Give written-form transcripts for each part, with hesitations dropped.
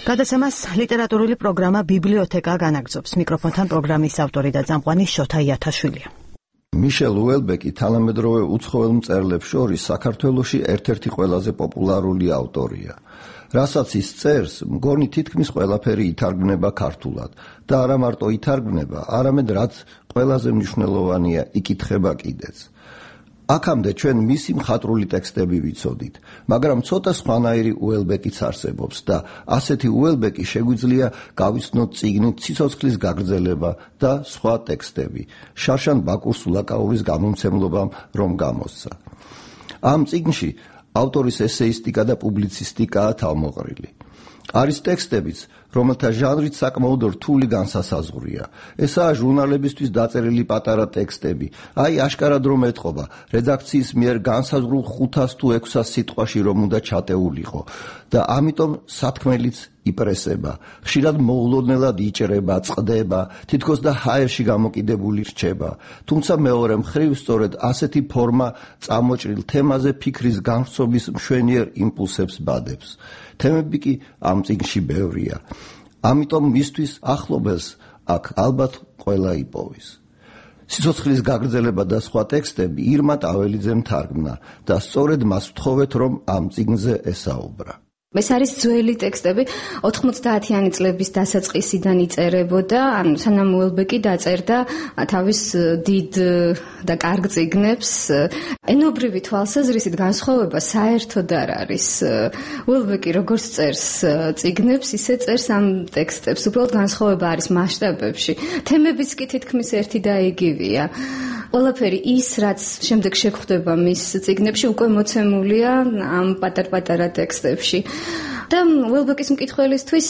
გადაცემას ლიტერატურული პროგრამა ბიბლიოთეკა განაგრძობს. მიკროფონთან პროგრამის ავტორი და წამყვანი შოთა იათაშვილია. მიშელ უელბეკი თანამედროვე უცხოელ მწერლებს შორის საქართველოში ერთ-ერთი ყველაზე პოპულარული ავტორია. რასაც ის წერს, მგონი თითქმის ყველაფერი ითარგმნება ქართულად და არა მარტო ითარგმნება, არამედ რაც ყველაზე მნიშვნელოვანია, იკითხება კიდეც. აქამდე ჩვენ მისი მხატვრული ტექსტები ვიცოდით, მაგრამ ცოტა სხვანაირი უელბეკიც არსებობს და ასეთი უელბეკი შეგვიძლია გავიცნოთ წიგნით „ციცოცხლის გაგრძელება“ და სხვა ტექსტები. შარშან ბაკურს ულაკაურის გამომცემლობამ რომ გამოსცა. ამ წიგნში ავტორის ესეისტიკა და პუბლიცისტიკაა თავმოყრილი. არის ტექსტებიც, რომელთა ჟანრით საკმაოდ რთული განსასაზღვრია. ესაა ჟურნალებისთვის დაწერილი პატარა ტექსტები. აი აშკარად რომ ეთყობა, რედაქციის მიერ განსაზღვრულ 500 თუ 600 სიტყვაში რომ უნდა ჩატეულიყო და ამიტომ სათქმელიც იპრესება. ხშირად მოულოდნელად იჭრება, წყდება, თითქოს და ჰაერში გამოკიდებული რჩება. თუმცა მეორე მხრივ სწორედ ასეთი ფორმა წამოჭრილ თემაზე ფიქრის განვრცობის მშვენიერ იმპულსებს ბადებს. თემები კი ამ წიგნში ბევრია. ამიტომ მისთვის ახლობელს აქ ალბათ ყველა იპოვის. სიცოცხლის გაგრძელება და სხვა ტექსტები ირმა ტაველიძემ თარგმნა და სწორედ მას ვთხოვეთ რომ ამ წიგნზე ესაუბრა. ეს არის ძველი ტექსტები 90-იანი წლების დასაწყისიდან იწერებოდა, ანუ სანამ უელბეკი დაწერდა თავის დიდ და კარგ წიგნებს. ენობრივი თვალსაზრისით განსხვავება საერთოდ არ არის. უელბეკი როგორც წერს წიგნებს, ისე წერს ამ ტექსტებს. უბრალოდ განსხვავება არის მასშტაბებში. თემებიც კი თითქმის ერთი და იგივეა. ყველაფერი ის, რაც შემდეგ შეგვხვდება მის წიგნებში, უკვე მოცემულია ამ პატარ-პატარა ტექსტებში. და უელბეკის მკითხველისთვის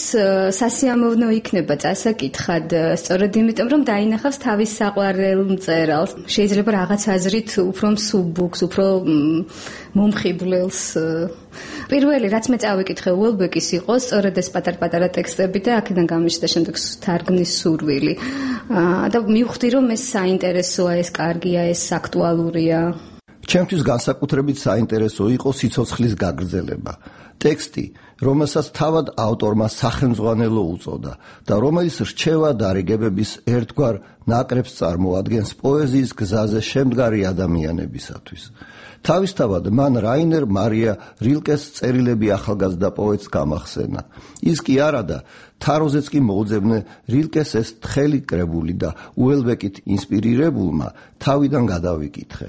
სასიამოვნო იქნება წასაკითხად, სწორედ იმიტომ, რომ დაინახავს თავის საყვარელ მწერალს. შეიძლება რაღაც აზრით უფრო მსუბუქს, უფრო მომხიბვლელს. პირველი, რაც მე წავიკითხე უელბეკის იყო, სწორედ ეს პატარ-პატარა ტექსტები და აქედან გამიჩნდა შემდეგ თარგმნის სურვილი. და მივხვდი, რომ ეს საინტერესოა, ეს კარგია, ეს აქტუალურია. ჩემთვის განსაკუთრებით საინტერესო იყო სიცოცხლის გაგრძელება. ტექსტი, რომელსაც თავად ავტორმა სახელმძღვანელო უწოდა და რომელიც რჩევა დარიგებების ერთგვარ ნაკრებს წარმოადგენს პოეზიის გზაზე შემდგარი ადამიანებისათვის. თავისთავად მან რაინერ მარია რილკეს წერილები ახალგაზრდა პოეტს გამახსენა. ის კი არადა, თაროზეც კი მოუძებნე რილკეს ეს თხელი კრებული და უელბეკით ინსპირირებულმა თავიდან გადავიკითხე.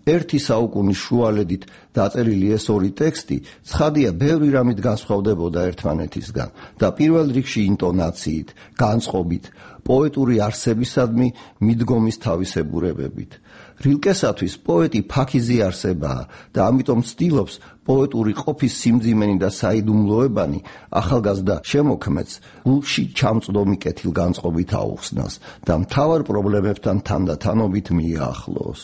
ერთი საუკუნის შუალედით დაწერილი ეს ორი ტექსტი ცხადია ბევრი რამით განსხვავდებოდა ერთმანეთისგან და პირველ რიგში ინტონაციით, განწყობით, პოეტური არსებისადმი მიდგომის თავისებურებებით. რილკესათვის პოეტი ფაქიზი არსებაა და ამიტომ ცდილობს პოეტური ყოფის სიმძიმენი და საიდუმლოებანი ახალგაზრდა შემოქმედს გულში ჩამწდომი კეთილგანწყობით აუხსნას და მთავარ პრობლემებთან თანდათანობით მიაახლოოს.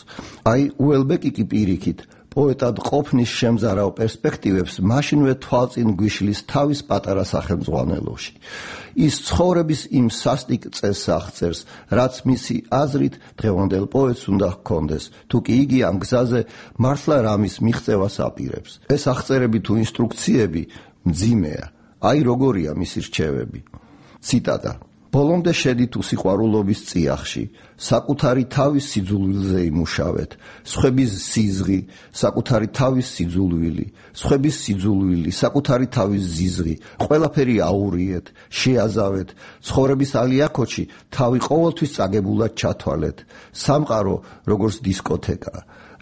აი უელბეკი კი პირიქით პოეტად ყოფნის შემზარავ პერსპექტივებს მაშინვე თვალწინ გვიშლის თავის პატარა სახელმძღვანელოში. ის ცხოვრების იმ სასტიკ წესს აღწერს, რაც მისი აზრით დღევანდელ პოეტს უნდა ჰქონდეს, თუ კი იგი ამ გზაზე მართლა რამის მიღწევას აპირებს. ეს აღწერები თუ ინსტრუქციები მძიმეა. აი როგორია მისი რჩევები. ციტატა: ბოლომდე შედით უსიყვარულობის წიაღში, საკუთარი თავის სიძულვილზე იმუშავეთ, სხვების სიზღი, საკუთარი თავის სიძულვილი, სხვების სიძულვილი, საკუთარი თავის ზიზღი, ყველაფერი აურიეთ, შეაზავეთ, ცხოვრების ალიაქოჩი თავი ყოველთვის წაგებულად ჩათვალეთ, სამყარო როგორც დისკოთეკა,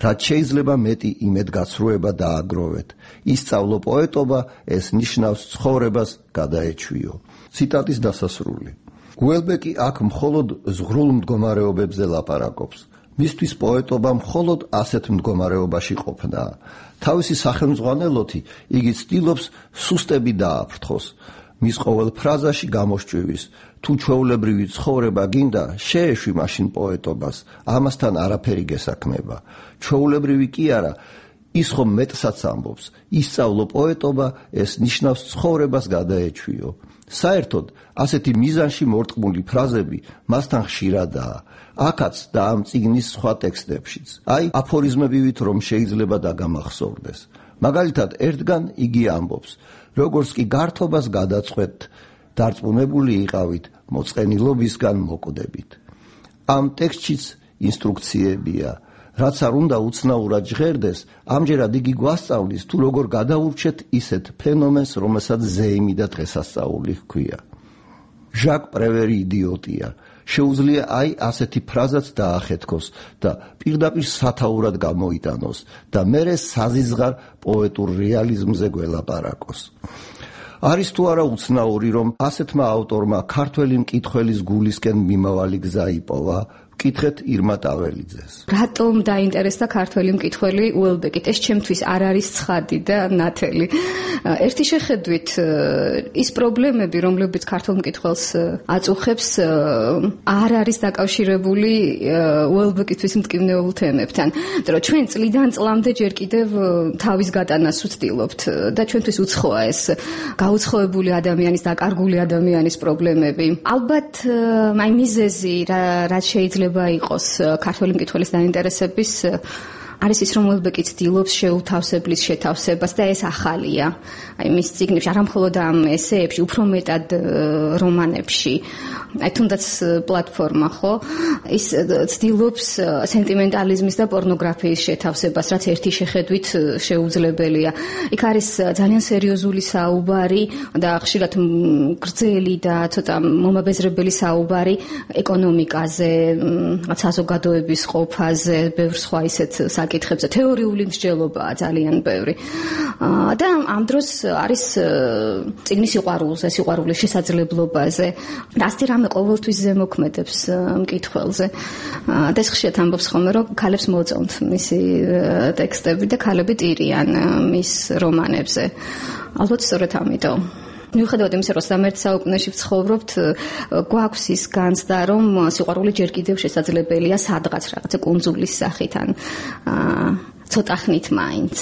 რაც შეიძლება მეტი იმედგაცრუება დააგროვეთ, ისწავლო პოეტობა, ეს ნიშნავს ცხოვრებას გადაეჩვიო. ციტატის დასასრული. უელბეკი აქ მხოლოდ ზღრულ მდგომარეობებზე ლაპარაკობს. მისთვის პოეტობა მხოლოდ ასეთ მდგომარეობაში ყოფნაა. თავისი სახელმძღვანელოთი იგი ცდილობს სუსტები დააფრთხოს. მის ყოველ ფრაზაში გამოსჭვივის, თუ ჩვეულებრივი ცხოვრება გინდა, შეეშვი მაშინ პოეტობას, ამასთან არაფერი გესაქმება. ჩვეულებრივი კი არა, ის ხომ მეტსაც ამბობს, ისწავლო პოეტობა, ეს ნიშნავს ცხოვრებას გადაეჩვიო. საერთოდ, ასეთი მიზანში მორტყმული ფრაზები მასთან ხშირადაა. აქაც და ამ წიგნის სხვა ტექსტებშიც. აი, აფორიზმებივით რომ შეიძლება დაგამახსოვრდეს. მაგალითად, ერთგან იგი ამბობს, როგორც კი გართობას გადაწყვეტ, დარწმუნებული იყავით მოწყენილობისგან მოკვდებით. ამ ტექსტშიც ინსტრუქციებია, რაც არ უნდა უცნაურად ჟღერდეს, ამჯერად იგი გვასწავლის თუ როგორ გადაურჩეთ ისეთ ფენომენს, რომელსაც ზეიმი და დღესასწაული ჰქვია. ჟაკ პრევერი იდიოტია. შეუძლია ასეთი ფრაზაც დაახეთქოს და პირდაპირ სათაურად გამოიტანოს და მერე საზიზღარ პოეტურ რეალიზმზე გველაპარაკოს. არის თუ არა უცნაური, რომ ასეთმა ავტორმა ქართველი მკითხველის გულისკენ მიმავალი გზა იპოვა? ვკითხეთ ირმა ტაველიძეს. რატომ დაინტერესდა ქართველი მკითხველი უელბეკით? ეს ჩემთვის არ არის ცხადი და ნათელი. ერთი შეხედვით ის პრობლემები, რომლებიც ქართულ მკითხველს აწუხებს, არ არის დაკავშირებული უელბეკისთვის მტკივნეულ თემებთან. იმიტომ რომ ჩვენ წლიდან წლამდე ჯერ კიდევ თავის გატანას ვცდილობთ და ჩვენთვის უცხოა ეს გაუცხოებული ადამიანის, დაკარგული ადამიანის პრობლემები. ალბათ აი მიზეზი რაც შეიძლება იყოს ქართველი მკითხველის დაინტერესების არის ის, რომ უელბეკი ცდილობს შეუთავსებლის შეთავსებას და ეს ახალია. აი მის წიგნებში, არა მხოლოდ ამ ესეებში, უფრო მეტად რომანებში. აი თუნდაც პლატფორმა, ხო? ის ცდილობს სენტიმენტალიზმის და პორნოგრაფიის შეთავსებას, რაც ერთი შეხედვით შეუძლებელია. იქ არის ძალიან სერიოზული საუბარი და ხშირად გრძელი და ცოტა მომაბეზრებელი საუბარი ეკონომიკაზე, საზოგადოების ყოფაზე, ბევრ სხვა ისეთ საკითხებზე, თეორიული მსჯელობაა ძალიან ბევრი. და ამ დროს არის წიგნის სიყვარულზე, სიყვარულის შესაძლებლობაზე. რასტი რამე ყოველთვის ზემოქმედებს მკითხველზე. და ეს ხშირად ამბობს ხოლმე, რომ ქალებს მოწონთ მისი ტექსტები და ქალები ტირიან მის რომანებზე. ალბათ სწორედ ამიტომ. მიუხედავად იმისა, რომ 21 საუკუნეში ვცხოვრობთ, გვაქვს ის განცდა, რომ სიყვარული ჯერ კიდევ შესაძლებელია სადღაც რაღაცა კუნძულის სახით ან ცოტა ხნით მაინც.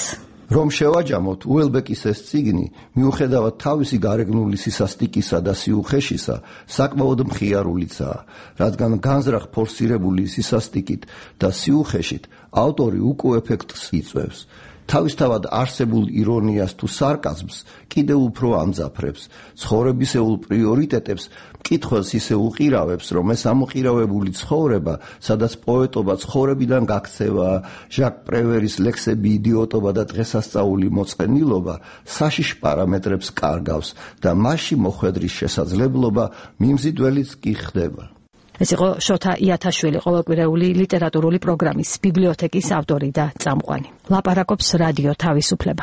რომ შევაჯამოთ, უელბეკის ეს წიგნი, მიუხედავად თავისი გარეგნული სისასტიკისა და სიუხეშისა, საკმაოდ მხიარულიცაა, რადგან განზრახ ფორსირებული სისასტიკით და სიუხეშით ავტორი უკუ ეფექტს იწვევს. თავისთავად არსებულ ირონიას თუ სარკაზმს კიდევ უფრო ამძაფრებს, ცხოვრებისეულ პრიორიტეტებს მკითხველს ისე უყირავებს, რომ ეს ამოყირავებული ცხოვრება, სადაც პოეტობა ცხოვრებიდან გაქცევაა, ჟაკ პრევერის ლექსები იდიოტობა და დღესასწაული მოწყენილობა საშიშ პარამეტრებს კარგავს და მასში მოხვედრის შესაძლებლობა მიმზიდველიც კი ხდება. ეს იყო შოთა იათაშვილი, ყოველკვირეული ლიტერატურული პროგრამის ბიბლიოთეკის ავტორი და წამყვანი. ლაპარაკობს რადიო თავისუფლება.